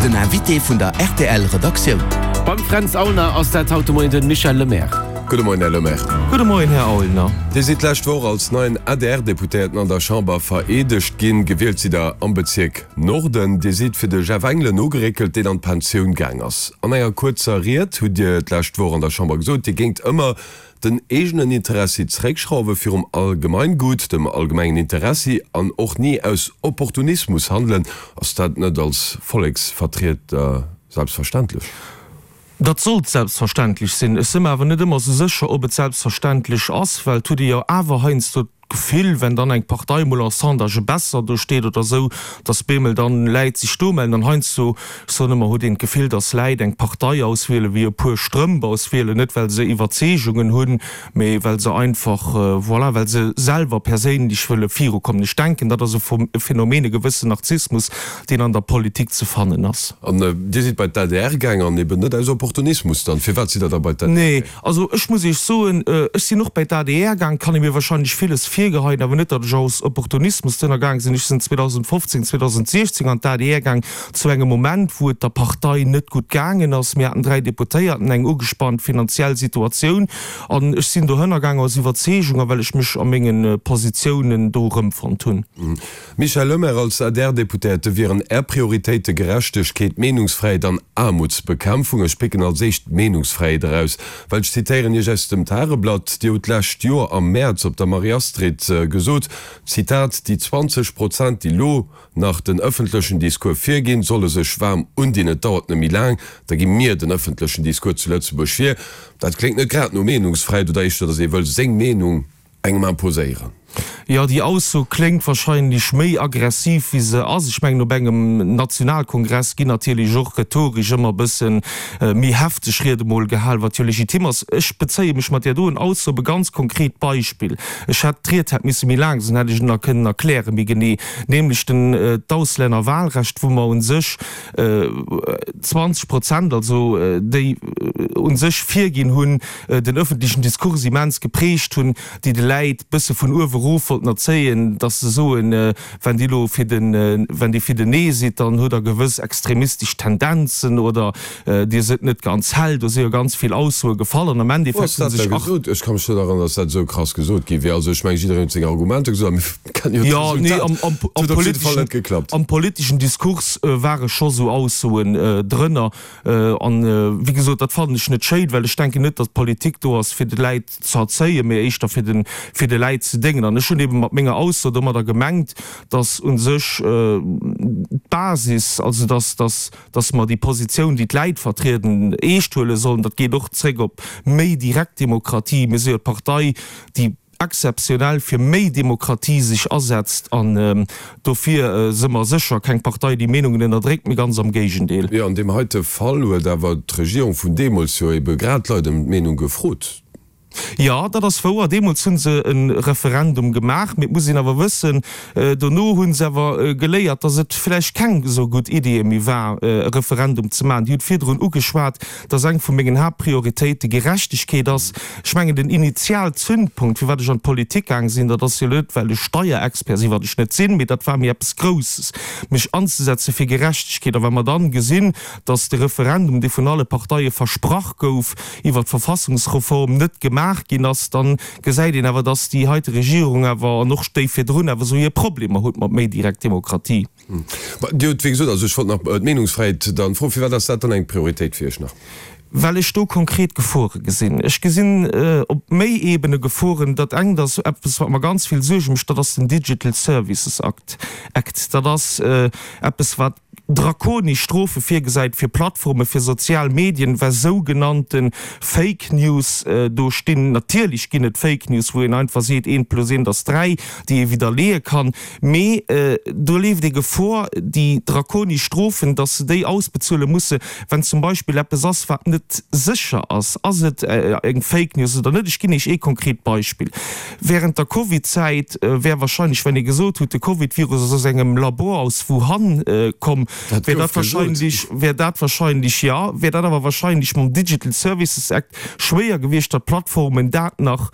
Den Invité vun der rtl Redaktioun. Beim Fränz Aulner ass dat haut de Moien den Michel Lemaire. Gudde Moien, Här Lemaire. Gudde Moien, Här Aulner. Dir sidd d'lescht Woch als neien ADR-Deputéierten an der Chamber vereedegt ginn. Gewielt sidd Der am Bezierk Norden. Dir sidd fir de Jeff Engelen nogeréckelt, deen an d'Pensioun gaang ass. An enger kuerzer Ried hutt Dir d'lescht Woch an der Chamber gesot, Dir géingt ëmmer den eegenen Interessi zeréckschrauwe virum Allgemeingut, dem allgemengen Interessi, an och ni aus Opportunismus handelen. Ass dat net als Volleksvertrieder selbstverständlech? Dat sollt selbstverständlech sinn. Ech si mer awer net ëmmer esou sécher, ob et selbstverständlech ass, well et huet ee jo awer heiansdo d'Gefill, wenn dann eng Partei mol en Sondagë besser do steet oder esou, datt bemol dann Läit sech do mellen. An heiansdo, ech soen ëmmer, huet een d'Gefill, datt Läit eng Partei auswielen, wéi e puer Strëmp auswielen, net well se Iwwerzeegungen hunn, mee well se einfach, voilà, well se selwer perséinlech wëlle virukommen. Ech denken, dat ass e Phänomen, e gewëssen Narzissmus, deen an der Politik ze fannen ass. An Dir sidd bei d'ADR gaang, an eben net aus Opportunismus dann. Firwat sidd Der da bei d'ADR gaang? Also ech muss Iech soen, ech sinn och bei d'ADR gaang, kann ee mir wahrscheinlech villes virgeheien, awer net, datt ech aus Opportunismus dohinner gaang sinn. Ech sinn 2015, 2016 an d'ADR gaang, zu engem Moment, wou et der Partei net gutt gaangen ass. Mir haten 3 Deputéierten, eng ugespannt finanziell Situatioun an ech sinn dohënner gaang aus Iwwerzeegung a well ech mech a menge Positiounen do erëmfonnt hunn. Michel Lemaire, Als ADR-Deputéierte wieren Är Prioritéite Gerechtegkeet, Meenungsfräiheet an Aarmutsbekämpfung. Ech picken als éischt d'Meenungsfräiheet eraus, well ech zitéieren Iech aus dem Tageblatt, Dir hutt d'lescht Joer am Mäerz op der Marie-Astrid gesot, Zitat, Déi 20 Prozent, déi elo nach den ëffentlechen Discours virginn, solle sech waarm undinn. Et dauert net méi laang, da gi mir den ëffentlechen Discours zu Lëtzebuerg vir. Dat kléngt net grad no Meenungsfräiheet oder éischter, datt ee wëll seng Meenung engem imposéieren. Jo, déi Ausso kléngt wahrscheinlech méi aggressiv wéi se ass. Ech mengen, op engem Nationalkongress ginn natierlech och rhetoresch ëmmer e bësse méi hefteg Riede mol gehal, wat jo legitim ass. Ech bezéie mech mat där doen Ausso op e ganz konkret Beispill. Ech hätt, d'Ried hätt misse méi laang sinn, hätt ech et nach kënnen erklären méi genee, nämlech den, d'Auslännerwahlrecht, wou mer u sech 20 Prozent, also déi u sech virginn hunn, den öffentlichen Diskurs immens geprägt hunn, déi de Läit bësse vun uewe erof wollten erzéien, dass se soen, wenn Dir elo fir den, wenn Dir fir den Nee sidd, dann hutt Der gewëss extremistesch Tendenzen oder Dir sidd net ganz hell. Do si jo ganz vill Aussoe gefall an am Wou Endeffekt ass hu dat da sech. gesot? Ech ka mech net erënneren, dass dat esou krass gesot gi wier. Also ech mengen, jiddereen huet seng Argumenter gesot a mir kennen jo Jo, nee, d'Resultat. am, am, Et am huet op jidde Fall politeschen, net geklappt. am politeschen Diskurs ware scho sou Aussoen drënner. An, wéi gesot, dat fannen ech net schéin, well ech denken net, datt d'Politik do ass, fir de Läit ze erzéien, mee éischter fir de, fir de Läit ze déngen. An ech hunn eebe mat menger Ausso domadder gemengt, datt u sech d'Basis, also datt, datt, datt mer déi Positioun, déi d'Läit vertrieden, eescht huele sollen. Dat geet och zréck op méi direkt Demokratie. Mir si jo d'Partei, déi exzeptionell fir méi Demokratie sech asetzt an dofir si mer sécher keng Partei, déi Meenungen ënnerdréckt, mee ganz am Géigendeel. Jo, an deem heite Fall huet awer d'Regierung vun deemools jo ebe grad d'Leit ëm d'Meenung gefrot. Jo, dat ass wouer. Deemools hu se e Referendum gemaach, mee et muss een awer wëssen, dono hu se awer geléiert, datt et vläicht keng esou gutt Idee méi war, e Referendum ze maachen. Dir hutt virdrun ugeschwat, dass eng vu mengen Haaptprioritéite Gerechtegkeet ass. Ech mengen, den Initialzündpunkt, firwat ech an d'Politik gaang sinn, dat ass jo net, well ech Steierexpert sinn, wat ech net sinn, mee dat war mir eppes Grousses, mech anzesetze fir Gerechtegkeet. A wa mer dann gesinn, dass de Referendum, dee vun alle Parteie versprach gouf, iwwert d'Verfassungsreform net gemaach ginn ass, dann gesäit een awer, dass déi heite Regierung awer, an och déi virdrun, awer esou hir Problemer huet mat méi direkt Demokratie. Mä Dir hutt, wéi gesot, also ech wollt nach d'Meenungsfräiheet dann froen, firwat ass dat dann eng Prioritéit fir Iech nach? Well ech do konkret Gefore gesinn. Ech gesinn op méi Ebene Geforen. Dat engt ass eppes, wat mer ganz vill Suerge mécht, dat ass den Digital Services Act. Dat ass eppes, wat drakonesch Strofe virgesäit fir Plattforme fir sozial Medien, wa sougenannte Fake News do stinn. Natierlech ginn et Fake News, wou een einfach seet, eent plus eent ass dräi, déi ee widderleeë kann. Mee do leeft ee Gefor, déi drakonesch Strofen, datt se déi ausbezuele musse, wenn zum Beispill eppes ass, wat net sécher ass. Ass et eng Fake News oder net? Ech ginn Iech ee konkret Beispill. Während der Covid-Zäit wär wahrscheinlech, wenn ee gesot hutt, de Covid-Virus ass aus engem Labor aus Wuhan komm, wär dat wahrscheinlech, wär dat wahrscheinlech, jo, wär dat awer wahrscheinlech mam Digital Services Act schwéier gewiescht, datt d'Plattformen dat nach.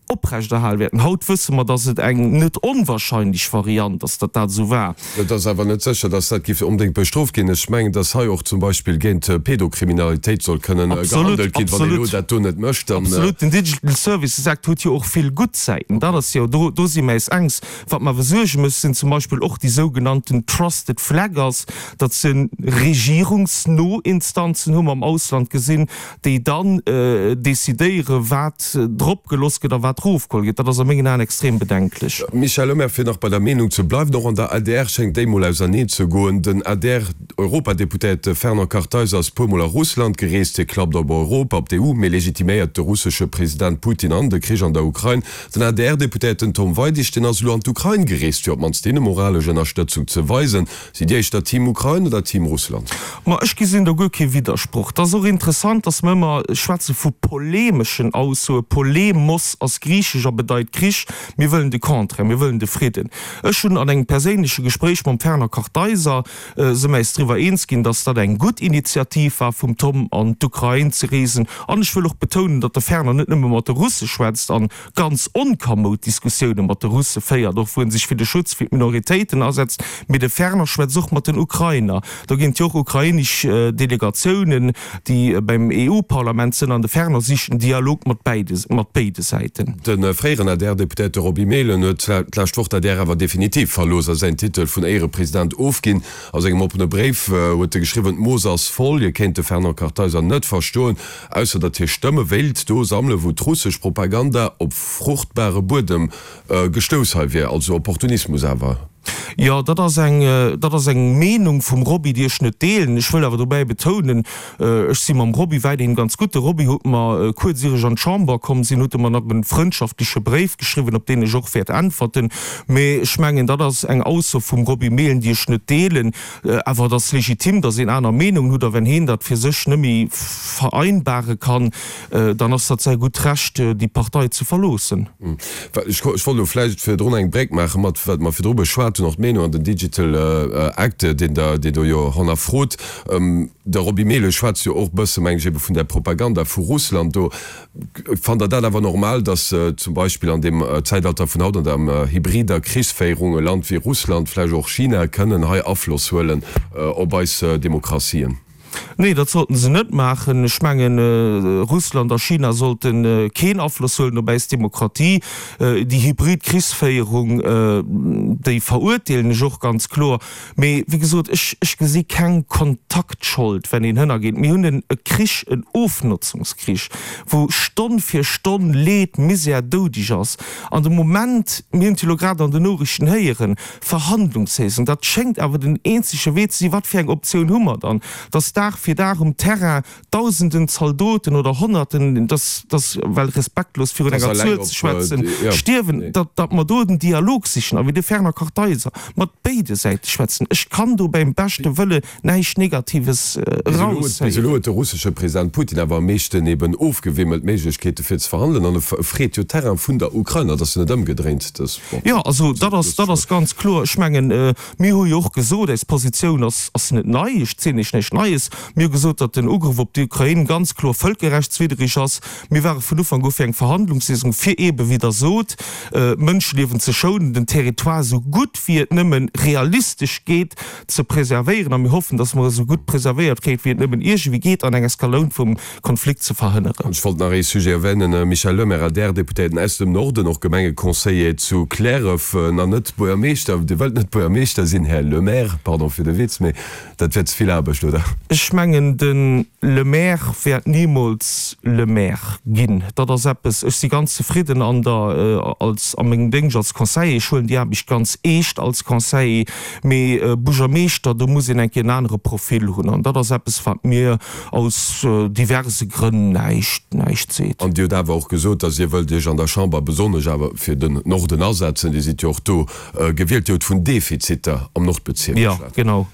oprechterhal wäerten. Haut wësse mer, datt et eng net onwahrscheinlech Variant ass, datt dat esou war. Et ass awer net sécher, datt dat géif onbedéngt bestrooft ginn. Ech mengen, datt hei och zum Beispill géint Pedokriminalitéit soll kënnen gehandelt ginn. Wann een elo dat do net mécht, dann. Absolut. Den Digital Services Act huet jo och vill gutt Säiten. Dat ass jo, do, do si mer eis engs. Wat mer awer Suerge mécht, sinn zum Beispill och déi sougenannten Trusted Flaggers. Dat si regierungsno Instanzen, hu mer am Ausland gesinn, déi dann decidéieren, wat drop gelooss gëtt a wat erofgeholl gëtt. Dat ass a mengen Aen extrem bedenklech. Michel Lemaire, Fir nach bei der Meenung ze bleiwen, och an der adr schéngt déi mol auserneen ze goen. Den ADR-Europadeputéierte Fernand Kartheiser ass puer mol a Russland gereest. Hie klappt op Europa, op d'EU, mee legitiméiert de russesche President Putin an de Krich an der Ukrain. Den ADR-Deputéierten Tom Weidig, deen ass elo an d'Ukrain gereest, fir op d'mannst hinne moralesch Ënnerstëtzung ze weisen. Sidd Dir éischter Team Ukrain oder Team Russland? Ma ech gesinn do guer kee Widdersproch. Et ass och interessant, datt mer ëmmer schwätze vu polemeschen Aussoen. Polemos ass griichesch a bedeit Krich. Mir wëllen de Contraire, mir wëllen de Fridden. Ech hunn an engem perséinleche Gespréich mam Fernand Kartheiser, si mer eis driwwer eens ginn, datt dat eng gutt Initiativ war vum Tom an d'Ukrain ze reesen. An ech wëll och betounen, datt de Fernand net nëmme mat de Russe schwätzt an ganz onkamoud Diskussioune mat de Russe féiert, och wou en sech fir de Schutz fir d'Minoritéiten asetzt, mee de Ferner schwätzt och mat den Ukrainer. Do ginn et jo och ukrainesch Delegatiounen, déi beim EU-Parlament sënn, an de Ferner sicht den Dialog mat bäide mat béide Säiten. De fréieren ADR-Deputéierte Roby Mehlen huet d'lescht Woch d'ADR awer definitiv verlooss a säin Titel vun Éierepresident ofginn. A sengem oppene Bréif huet e geschriwwen, D'Mooss ass voll. Hie kéint de Fernand Kartheiser net verstoen, Ausser datt hie Stëmme wéilt do sammelen, wou d'russesch Propaganda op fruchtbare Buedem gestouss hei wier. Also Opportunismus awer. Jo, dat ass eng, dat ass eng Meenung vum Roby, déi ech net deelen. Ech wëll awer dobäi betounen, ech si mam Roby weiderhin ganz gutt. De Roby huet mer, kuerz ier ech an d'Chamber komm sinn, huet e mer nach e frëndschaftleche Bréif geschriwwen, op deen ech och wäert äntwerten. Mee ech mengen, dat ass eng Ausso vum Roby Mehlen, déi ech net deelen. Awer et ass legitim, datt een aner Meenungen hutt, a wenn heen dat fir sech net méi vereinbare kann, dann ass dat säi gutt Recht, déi Partei ze verloossen. Ech wollt elo vläicht virdrun eng Bréck maache mat wat mer virdru beschwat hunn, och d'Meenung an den Digital Act, deen Der, deen do jo hannerfrot. De Roby Mehlen schwätzt jo och e bësse, meng ech, ebe vun där Propaganda vu Russland do. Fannt Der dat awer normal, datt zum Beispill an deem Zäitalter vun haut, an der hybrider Krichsféierung, e Land wéi Russland, vläicht och China, kënnen hei Afloss huelen op eis Demokratien? Nee, dat sollten se net maachen. Ech mengen, Russland a China sollte keen Afloss huelen op äis Demokratie. Déi hybrid Krichsféierung, déi verurteelen ech och ganz kloer. Mee wéi gesot, ech, ech gesi keng Kontaktschold, wenn een hënnergeet. Mir hunn en e Krich, en Ofnotzungskrich, wou Stonn fir Stonn Leed, Misär, Doudeg ass. An de Moment, mir hunn et jo elo grad an den Noriichten héieren, Verhandlungshéisung, dat schéngt awer den eenzege Wee ze sinn. Wat fir eng Optioun hu mer dann? Dass Dag fir Dag um Terrain Dausenden Zaldoten oder Honnerten, dass, dass, well respektlos virun enger Zuel ze schwätzen, stierwen, datt, datt mer do den Dialog sichen a wéi de Fernand Kartheiser mat béide Säite schwätzen. Ech kann do beim beschte Wëlle näischt Negatives erausheieren. Bis elo huet de russesche President Putin awer am meeschten eben ofgewimmelt, Méiglechkeete fir ze verhandelen an e freet jo Terrain vun der Ukrain. Dat ass jo net ëmgedréint. Jo, also dat ass, dat ass ganz kloer. Ech mengen, mir hu jo och gesot, eis Positioun ass, ass net nei, ech zielen Iech näischt Neies. Mir hu gesot, datt den Ugrëff op d'Ukrain ganz kloer vëlkerrechtswidderig ass. Mir ware vun Ufank u fir eng Verhandlungsléisung, fir eebe, wéi Der sot, Mënscheliewen ze schounen, den Territoire esou gutt wéi et nëmme realistesch geet ze preservéieren. A mir hoffen, datt mer e sou gutt preservéiert kréien, wéi et nëmmen iergendwéi geet, an eng Eskaloun vum Konflikt ze verhënneren. Ech wollt nach ee Sujet erwänen, Michel Lemaire, ADR-Deputéierten aus dem Norden, och Gemengeconseiller zu Cliärref, nach net Buergermeeschter. Dir wëllt net Buergermeeschter sinn, Här Lemaire, pardon fir de Witz, mee dat wär ze vill Aarbecht, oder? Ech mengen, de Lemaire wäert nimools Le Maire ginn. Dat ass eppes, ech si ganz zefridden an der, als, a mengem Déngscht als Conseiller. Ech huelen déi Aarbecht ganz eescht als Conseiller. Mee Buergermeeschter, do muss een eng Kéier en anere Profil hunn. An dat ass eppes, wat mir aus diverse Grënn näischt, näischt seet. An Dir hutt awer och gesot, datt Dir wëllt Iech an der Chamber besonnesch awer fir den Norden asetzen. Dir sidd jo och do gewielt. Dir hutt vun Defiziter am Nordbezierk geschwat. Jo, genau.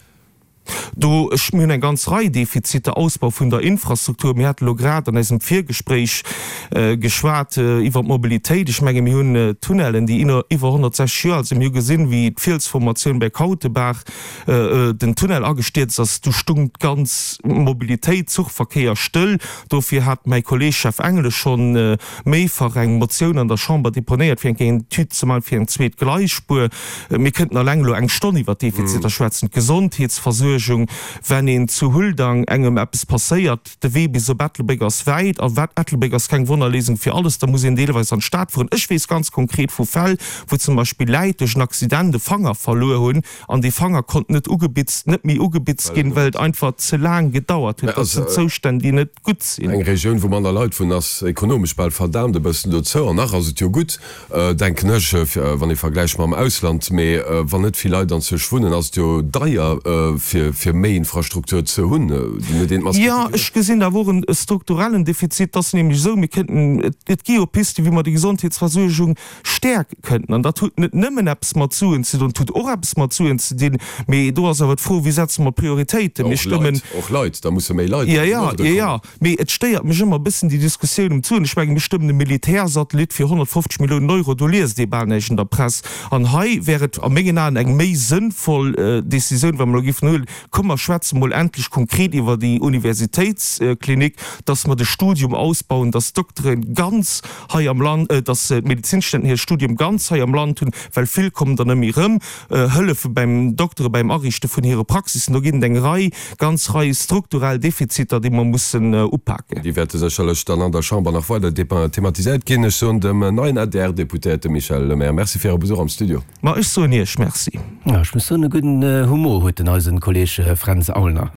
Do, ech, mir hunn eng ganz Rei Defiziter, Ausbau vun der Infrastruktur. Mir hate lo grad an eisem Virgespréich geschwat iwwer d'Mobilitéit. Ech menge mir hunn Tunnellen, déi iwwer 160 Joer al sinn. Mir hu gesinn, wéi d'Fielsformatioun bei Kautebaach, den Tunnel agestierzt ass. Du stung d'ganz Mobilitéit, Zuchverkéier stëll. Dofir hat mäi Kolleeg Jeff Engelen schonn méifach eng Motioun an der Chamber deponéiert, fir eng Kéier eng Etüd ze maachen fir eng zweet Gleisspuer. Mir kënnten alleng elo eng Stonn iwwer d'Defiziter schwätzen. D'Gesondheetsversuergung, wenn een zu Huldang engem eppes passéiert, de Wee bis op Ettelbréck ass wäit, a Ettelbréck ass keng Wonnerléisung fir alles, da muss een deelweis an d'Stad fueren. Ech weess ganz konkret vu Fäll, wou zum Beispill Läit duerch en Accident e Fanger verluer hunn an dee Fanger konnt net ugebitzt, net méi ugebitzt ginn, well et einfach ze laang gedauert huet. Dat sinn Zoustänn, déi net gutt sinn. Eng Regioun, wou manner Leit wunnen, ass ekonomesch bal verdaamt e bëssen dozou. An nach ass et jo gutt, denken ech, wann ee vergläicht mam Ausland. Mee wann net vill Leit anzwousch wunnen, ass et jo deier, fir méi Infrastruktur ze hunn. Jo, ech gesinn awer och e strukturellen Defizit. Et ass nämlech esou, mir kënnten, et gi jo Pisten, wéi mer déi Gesondheetsversuergung stäerke kënnten. An dat huet net nëmmen eppes mat Suen ze doen, et huet och eppes mat Suen ze dinn, mee do ass awer d'Fro, Wéi setze mer d'Prioritéiten? Mir stëmmen. Och Leit, da musse méi Leit an den Norde kommen. Jo, jo, mee et stéiert mech ëmmer e bëssen déi Diskussioun ëm d'Suen. Ech mengen, mir stëmmen e Militärsatellit fir 150 Milliounen Euro, do liest ee bal näischt an der Press. An hei wär et a mengen Aen eng méi sënnvoll Decisioun, wa mer elo géifen huelen, Komm mer schwätze mol endlech konkret iwwer déi Universitéitsklinik, dass mer de Studium ausbauen, dass d'Doktere ganz hei am Land, dass d'Medezinstudenten hir Studium ganz hei am Land hunn, well vill kommen der net méi erëm, hëllefe beim Doktere beim Ariichte vun hire Praxissen. Do ginn et eng Rei, ganz Rei strukturell Defiziter, déi mer mussen upaken. Déi wäerte sécherlech dann an der Chamber nach weider thematiséiert ginn. Ech soen dem neien ADR-Deputéierte Michel Lemaire Merci fir Äre Besuch am Studio. Ma ech soen Iech Merci. Ech muss soen, e gudden Humor huet den eisen Kolleg Fränz Aulner.